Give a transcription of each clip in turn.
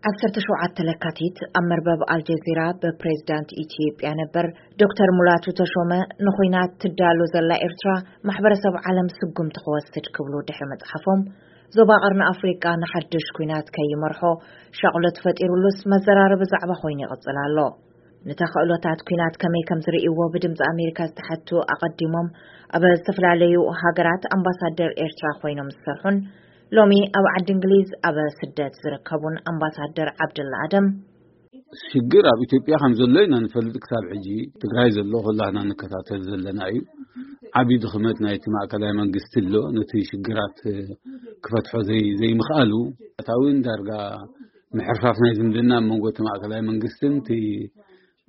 ዓሰርተ ሸውዓተ ለካቲት ኣብ መርበብ ኣልጀዚራ ብፕሬዝዳንት ኢትዮጵያ ነበር ዶክተር ሙላቱ ተሾመ ንኹናት ትዳሎ ዘላ ኤርትራ ማሕበረሰብ ዓለም ስጉምቲ ክወስድ ክብሉ ድሕሪ ምጽሓፎም፣ ዞባ ቀርኒ ኣፍሪቃ ንሓድሽ ኩናት ከይመርሖ ሻቕሎት ፈጢሩሉስ መዘራረቢ ዛዕባ ኮይኑ ይቕጽል ኣሎ። ንተኽእሎታት ኩናት ከመይ ከም ዝርእይዎ ብድምፂ ኣሜሪካ ዝተሓቱ ኣቐዲሞም ኣብ ዝተፈላለዩ ሃገራት ኣምባሳደር ኤርትራ ኮይኖም ዝሰርሑን ሎሚ ኣብ ዓዲ እንግሊዝ ኣብ ስደት ዝርከቡን ኣምባሳደር ዓብደላ ኣደም፣ ሽግር ኣብ ኢትዮጵያ ከም ዘሎ ኢና ንፈልጥ። ክሳብ ሕጂ ትግራይ ዘሎ ኩላህና ንከታተል ዘለና እዩ። ዓብዪ ድኽመት ናይቲ ማእከላይ መንግስቲ ኣሎ። ነቲ ሽግራት ክፈትሖ ዘይ ዘይምኽኣሉ፣ እታውን ዳርጋ ምሕርፋፍ ናይ ዝምድና ኣብ መንጎ እቲ ማእከላይ መንግስትን እቲ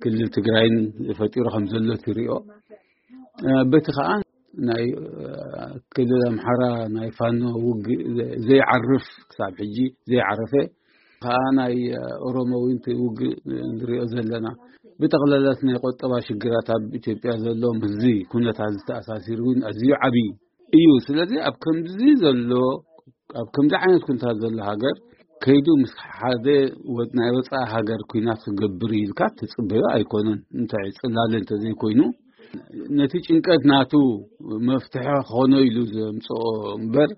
ክልል ትግራይን ፈጢሩ ከም ዘሎ ትሪኦ። በቲ ከዓ ናይ ክልል ኣምሓራ ናይ ፋኖ ውግእ ዘይዓርፍ፣ ክሳብ ሕጂ ዘይዓረፈ ከዓ ናይ ኦሮሞ እውን እቲ ውግእ ንሪኦ ዘለና። ብጠቕላላት ናይ ቆጠባ ሽግራት ኣብ ኢትዮጵያ ዘሎ ምስዚ ኩነታት ዝተኣሳሲሩ እውን ኣዝዩ ዓብዪ እዩ። ስለዚ ኣብ ከምዚ ዘሎ ኣብ ከምዚ ዓይነት ኩነታት ዘሎ ሃገር ከይዱ ምስ ሓደ ወ- ናይ ወፃኢ ሃገር ኩናት ክገብር ኢልካ ትፅበዮ ኣይኮነን። እንታይ ፅላለ እንተዘይኮይኑ ነቲ ጭንቀት ናቱ መፍትሒ ክኾኖ ኢሉ ዘምፅኦ እምበር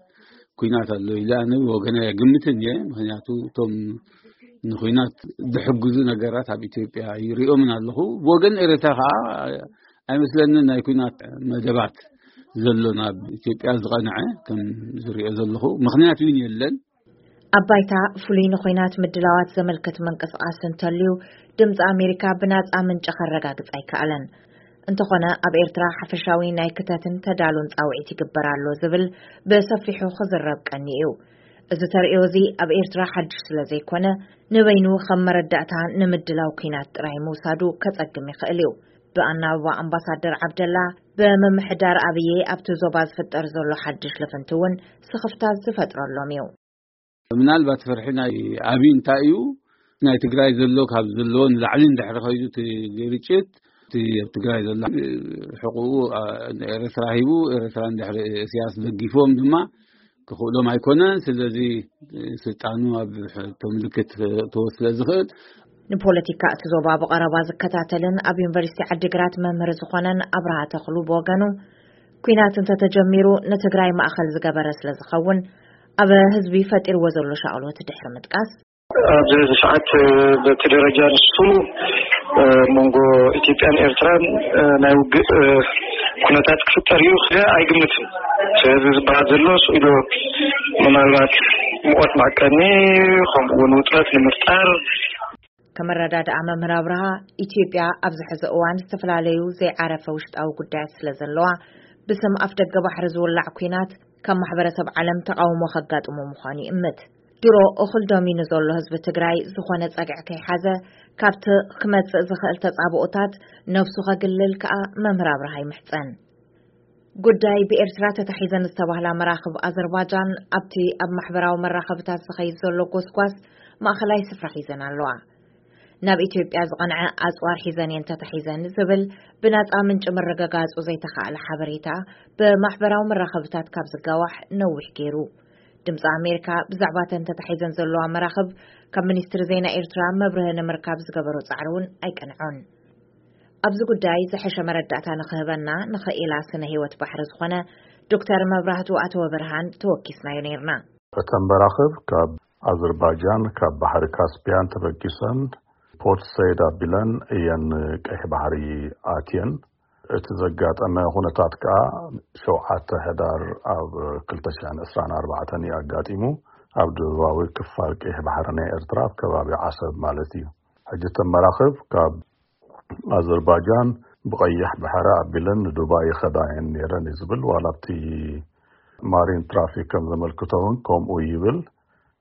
ኩናት ኣሎ ኢለ ኣነ ወገና የግምትን እየ። ምክንያቱ እቶም ንኩናት ዝሕግዙ ነገራት ኣብ ኢትዮጵያ ይሪኦምን ኣለኹ። ብወገን ኤረትራ ከዓ ኣይመስለንን ናይ ኩናት መደባት ዘሎ ናብ ኢትዮጵያ ዝቐንዐ ከም ዝሪኦ ዘለኹ ምክንያት እውን የለን። ኣብ ባይታ ፍሉይ ንኹናት ምድላዋት ዘመልክት ምንቅስቃስ እንተልዩ ድምፂ ኣሜሪካ ብናፃ ምንጪ ከረጋግፅ ኣይከኣለን። እንተኾነ ኣብ ኤርትራ ሓፈሻዊ ናይ ክተትን ተዳሉን ፃውዒት ይግበር ኣሎ ዝብል ብሰፊሑ ክዝረብ ቀኒ እዩ። እዚ ተርእዮ እዚ ኣብ ኤርትራ ሓድሽ ስለ ዘይኮነ ንበይኑ ከም መረዳእታ ንምድላው ኩናት ጥራይ ምውሳዱ ከፀግም ይኽእል እዩ። ብኣናብባ ኣምባሳደር ዓብደላ ብምምሕዳር ኣብዬ ኣብቲ ዞባ ዝፍጠር ዘሎ ሓድሽ ልፍንቲ እውን ስኽፍታ ዝፈጥረሎም እዩ። ምናልባት ፍርሒ ናይ ኣብይ እንታይ እዩ? ናይ ትግራይ ዘሎ ካብ ዘለዎ ንላዕሊ እንድሕሪ ከይዱ እቲ ግርጭት እቲ ኣብ ትግራይ ዘሎ ሕቁኡ ኤረትራ ሂቡ ኤረትራ እንድሕሪ እስያስ ደጊፎም ድማ ክኽእሎም ኣይኮነን። ስለዚ ስልጣኑ ኣብ ሕቶ ምልክት ክእትዎ ስለ ዝኽእል ንፖለቲካ እቲ ዞባ ብቐረባ ዝከታተልን ኣብ ዩኒቨርሲቲ ዓዲግራት መምህር ዝኾነን ኣብርሃ ተኽሉ ብወገኑ፣ ኩናት እንተተጀሚሩ ንትግራይ ማእኸል ዝገበረ ስለ ዝኸውን ኣብ ህዝቢ ፈጢርዎ ዘሎ ሻቕሎት ድሕሪ ምጥቃስ፣ ኣብዚ ሰዓት በቲ ደረጃ ንሱ መንጎ ኢትዮጵያን ኤርትራን ናይ ውግእ ኩነታት ክፍጠር እዩ ክደ ኣይግምትን። ስለዚ ዝበሃል ዘሎ ስኢሉ ምናልባት ሙቐት ማዕቀኒ ከምኡ እውን ውጥረት ንምፍጣር ከመረዳድኣ መምህር ኣብርሃ፣ ኢትዮጵያ ኣብዚ ሕዚ እዋን ዝተፈላለዩ ዘይዓረፈ ውሽጣዊ ጉዳያት ስለ ዘለዋ ብስም ኣፍ ደገ ባሕሪ ዝውላዕ ኩናት ካብ ማሕበረሰብ ዓለም ተቃውሞ ከጋጥሞ ምዃኑ ይእምት። ድሮ እኹል ደሚኑ ዘሎ ህዝቢ ትግራይ ዝኾነ ጸግዒ ከይሓዘ ካብቲ ክመጽእ ዝኽእል ተጻብኦታት ነብሱ ከግልል ከኣ መምህር ኣብርሃ ይምሕጸን። ጉዳይ ብኤርትራ ተታሒዘን ዝተባህላ መራኽብ ኣዘርባጃን ኣብቲ ኣብ ማሕበራዊ መራኸብታት ዝኸይድ ዘሎ ጎስጓስ ማእኸላይ ስፍራ ሒዘን ኣለዋ። ናብ ኢትዮጵያ ዝቐንዐ ኣጽዋር ሒዘን እየን ተታሒዘን ዝብል ብናጻ ምንጪ ምርግጋጹ ዘይተኻእለ ሓበሬታ ብማሕበራዊ መራኸብታት ካብ ዝጋዋሕ ነዊሕ ገይሩ። ድምፂ ኣሜሪካ ብዛዕባ እተን ተታሒዘን ዘለዋ መራኽብ ካብ ሚኒስትሪ ዜና ኤርትራ መብርሂ ንምርካብ ዝገበሮ ጻዕሪ እውን ኣይቀንዖን። ኣብዚ ጉዳይ ዝሐሸ መረዳእታ ንኽህበና ንኽኢላ ስነ ህይወት ባሕሪ ዝኾነ ዶክተር መብራህቱ ኣተወ ብርሃን ተወኪስናዮ ነይርና። እተን መራኽብ ካብ ኣዘርባጃን ካብ ባሕሪ ካስፒያን ተበጊሰን ፖርት ሰይድ ኣቢለን እየን ቀይሕ ባሕሪ ኣትየን። እቲ ዘጋጠመ ኩነታት ከኣ ሸውዓተ ሕዳር ኣብ ክልተ ሽሕን ዕስራን ኣርባዕተን እዩ ኣጋጢሙ። ኣብ ደቡባዊ ክፋል ቀይሕ ባሕሪ ናይ ኤርትራ ኣብ ከባቢ ዓሰብ ማለት እዩ። ሕጂ እተን መራኽብ ካብ ኣዘርባጃን ብቐይሕ ባሕሪ ኣቢለን ንዱባይ ይኸዳ እየን ነይረን እዩ ዝብል። ዋላ ኣብቲ ማሪን ትራፊክ ከም ዘመልክቶ እውን ከምኡ ይብል።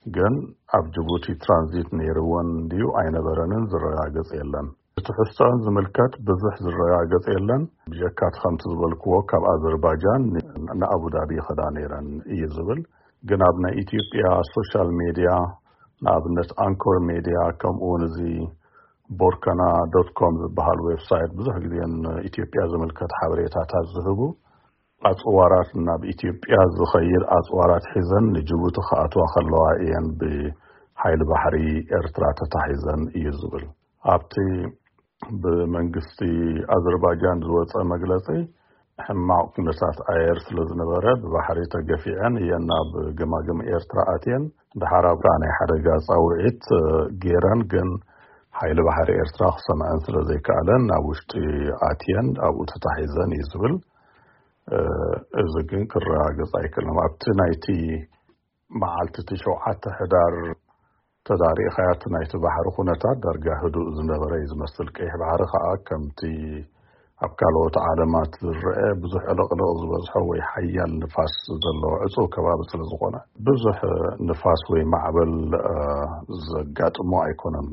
ግን ኣብ ጅቡቲ ትራንዚት ነይርወን ድዩ ኣይነበረንን ዝረጋገጽ የለን። እቲ ትሕዝቶኣን ዝምልከት ብዙሕ ዝረጋገጽ የለን። ብጀካ እቲ ከምቲ ዝበልክዎ ካብ ኣዘርባጃን ን- ንኣቡዳቢ ይኸዳ ነይረን እዩ ዝብል። ግን ኣብ ናይ ኢትዮጵያ ሶሻል ሜድያ ንኣብነት ኣንኮር ሜድያ ከምኡ እውን እዚ ቦርከና ዶት ኮም ዝበሃል ዌብሳይት ብዙሕ ግዜ ንኢትዮጵያ ዝምልከት ሓበሬታታት ዝህቡ ኣጽዋራት ናብ ኢትዮጵያ ዝኸይድ ኣጽዋራት ሒዘን ንጅቡቲ ክኣትዋ ከለዋ እየን ብ- ሓይሊ ባሕሪ ኤርትራ ተታሒዘን እዩ ዝብል። ኣብቲ ብመንግስቲ ኣዘርባጃን ዝወፀ መግለፂ፣ ሕማቕ ኩነታት ኣየር ስለ ዝነበረ ብባሕሪ ተገፊዐን እየን ናብ ገማግም ኤርትራ ኣትየን። ድሓር ኣብታ ናይ ሓደጋ ፃውዒት ገይረን፣ ግን ሓይሊ ባሕሪ ኤርትራ ክሰምዐን ስለ ዘይከኣለን ናብ ውሽጢ ኣትየን ኣብኡ ተታሒዘን እዩ ዝብል። እዚ ግን ክረጋገጽ ኣይክእልን። ኣብቲ ናይቲ መዓልቲ እቲ ሸውዓተ ሕዳር ተዳሪእኻያ፣ እቲ ናይቲ ባሕሪ ኩነታት ዳርጋ ህዱእ ዝነበረ እዩ ዝመስል። ቀይሕ ባሕሪ ከዓ ከምቲ ኣብ ካልኦት ዓለማት ዝረአ ብዙሕ ዕልቕልቕ ዝበዝሖ ወይ ሓያል ንፋስ ዘለዎ ዕጹው ከባቢ ስለ ዝኾነ፣ ብዙሕ ንፋስ ወይ ማዕበል ዘጋጥሞ ኣይኮነን።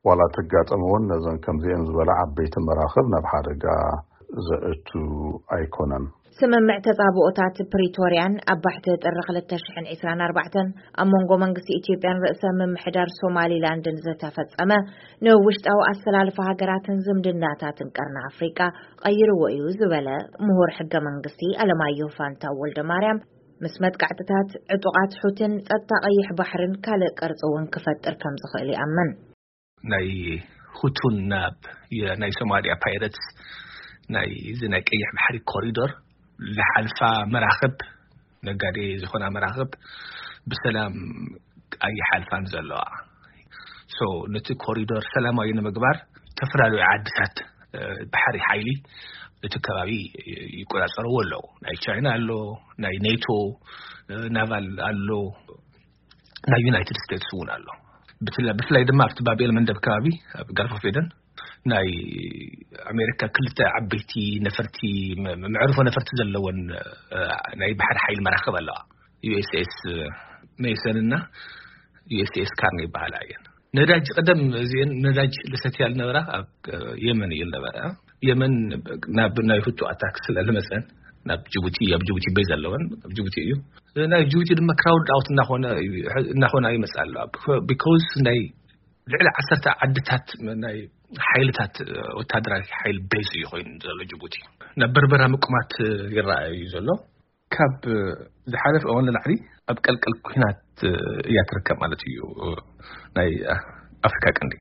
ዋላ ተጋጠመ እውን ነዘን ከምዚአን ዝበላ ዓበይቲ መራኽብ ናብ ሓደጋ ዘእቱ ኣይኮነን። ስምምዕ ተጻብኦታት ፕሪቶርያን ኣብ ባሕቲ ጥሪ ክልተ ሽሕን ዕስራን ኣርባዕተን ኣብ መንጎ መንግስቲ ኢትዮጵያን ርእሰ ምምሕዳር ሶማሊላንድን ዝተፈጸመ፣ ንውሽጣዊ ኣሰላልፋ ሃገራትን ዝምድናታትን ቀርኒ ኣፍሪቃ ቀይርዎ እዩ ዝበለ ምሁር ሕገ መንግስቲ ኣለማየሁ ፋንታው ወልደ ማርያም፣ ምስ መጥቃዕትታት ዕጡቓት ሑትን ጸጥታ ቀይሕ ባሕርን ካልእ ቅርጺ እውን ክፈጥር ከም ዝኽእል ይኣምን። ናይ ሁቱን ናብ ናይ ሶማሊያ ፓይረትስ ናይ እዚ ናይ ቀይሕ ባሕሪ ኮሪዶር ዝሓልፋ መራኽብ፣ ነጋዴ ዝኾና መራኽብ ብሰላም ኣይሓልፋን ዘለዋ። So ነቲ ኮሪዶር ሰላማዊ ንምግባር ዝተፈላለዩ ዓድታት ባሕሪ ሓይሊ እቲ ከባቢ ይቆጻጸርዎ ኣለዉ። ናይ ቻይና ኣሎ፣ ናይ ኔቶ ናቫል ኣሎ፣ ናይ ዩናይትድ ስቴትስ እውን ኣሎ። ብፍላይ ድማ ኣብቲ ባብኤል መንደብ ከባቢ ኣብ ጋልፍ ኦፍ ኤደን ናይ ኣሜሪካ ክልተ ዓበይቲ ነፈርቲ፣ መዕርፎ ነፈርቲ ዘለወን ናይ ባሕሪ ሓይሊ መራኽብ ኣለዋ። ዩ ኤስ ኤስ ሜሰን እና ዩ ኤስ ኤስ ካርኒ ይበሃላ እየን። ነዳጅ ቀደም እዚአን ነዳጅ ልሰትያ ልነበራ ኣብ የመን እዩ ልነበረ። የመን ናብ ናይ ሁቱ ኣታክ ስለ ልመፀን ናብ ጅቡቲ፣ ኣብ ጅቡቲ ቤዝ ኣለወን፣ ኣብ ጅቡቲ እዩ። ናይ ጅቡቲ ድማ ክራውድ ኣውት እናኾነ እናኾነ ይመፅእ ኣሎ። ቢኮዝ ናይ ልዕሊ ዓሰርተ ዓድታት ናይ ሓይልታት፣ ወታደራዊ ሓይል ቤዝ እዩ ኮይኑ ዘሎ ጅቡቲ። ናብ በርበራ ምቁማት ይረኣዩ ዘሎ። ካብ ዝሓለፈ እዋን ንላዕሊ ኣብ ቀልቀል ኩናት እያ ትርከብ ማለት እዩ ናይ ኣፍሪካ ቀንዲ።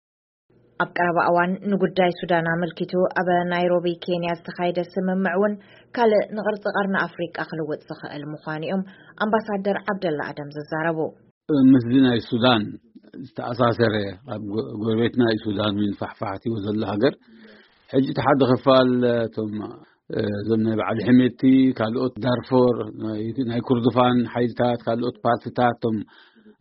ኣብ ቀረባ እዋን ንጉዳይ ሱዳን ኣመልኪቱ ኣብ ናይሮቢ ኬንያ ዝተኻየደ ስምምዕ እውን ካልእ ንቕርጺ ቀርኒ ኣፍሪቃ ክልውጥ ዝኽእል ምዃኑ እዮም ኣምባሳደር ዓብደላ ኣደም ዝዛረቡ። ምስዚ ናይ ሱዳን ዝተኣሳሰረ፣ ኣብ ጎረቤትና እዩ ሱዳን፣ ፋሕፋሕቲዎ ዘሎ ሃገር። ሕጂ እቲ ሓደ ክፋል እቶም እዞም ናይ በዓል ሕሜቲ፣ ካልኦት ዳርፎር፣ ናይ ኩርዱፋን ሓይልታት፣ ካልኦት ፓርቲታት፣ እቶም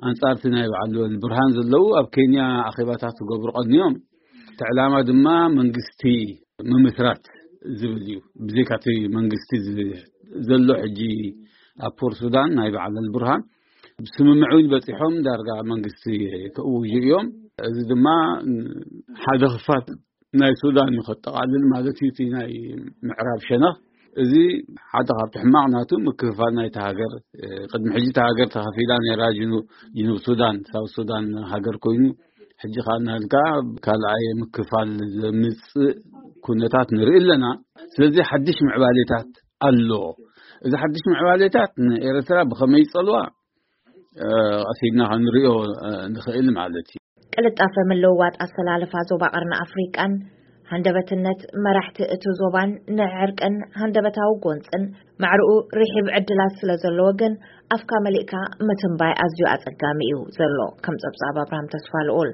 ኣንጻርቲ ናይ በዓል ብርሃን ዘለዉ ኣብ ኬንያ ኣኼባታት ክገብሩ ቀንዮም። እቲ ዕላማ ድማ መንግስቲ ምምስራት ዝብል እዩ። ብዘይካቲ መንግስቲ ዘሎ ሕጂ ኣብ ፖር ሱዳን ናይ በዓል ብርሃን ስምምዕ እውን በፂሖም ዳርጋ መንግስቲ ክእውጁ እዮም። እዚ ድማ ሓደ ክፋል ናይ ሱዳን እዩ ከጠቓልል ማለት እዩ። እቲ ናይ ምዕራብ ሸነኽ እዚ ሓደ ካብቲ ሕማቕ ናቱ ምክፍፋል ናይቲ ሃገር። ቅድሚ ሕጂ እቲ ሃገር ተኸፊላ ነራ ጅኑብ ሱዳን፣ ሳውት ሱዳን ሃገር ኮይኑ፣ ሕጂ ከዓ እናልካ ካልኣይ ምክፋል ዘምፅእ ኩነታት ንርኢ ኣለና። ስለዚ ሓድሽ ምዕባሌታት ኣሎ። እዚ ሓድሽ ምዕባሌታት ንኤርትራ ብኸመይ ይፀልዋ ቀሲድና ክንሪኦ ንኽእል ማለት እዩ። ቅልጣፈ ምልውዋጥ ኣሰላልፋ ዞባ ቀርኒ ኣፍሪቃን ሃንደበትነት መራሕቲ እቲ ዞባን ንዕርቅን ሃንደበታዊ ጎንፅን ማዕርኡ ርሒብ ዕድላት ስለ ዘለዎ ግን ኣፍካ መሊእካ ምትንባይ ኣዝዩ ኣጸጋሚ እዩ ዘሎ። ከም ጸብጻብ ኣብርሃም ተስፋ ልኡል።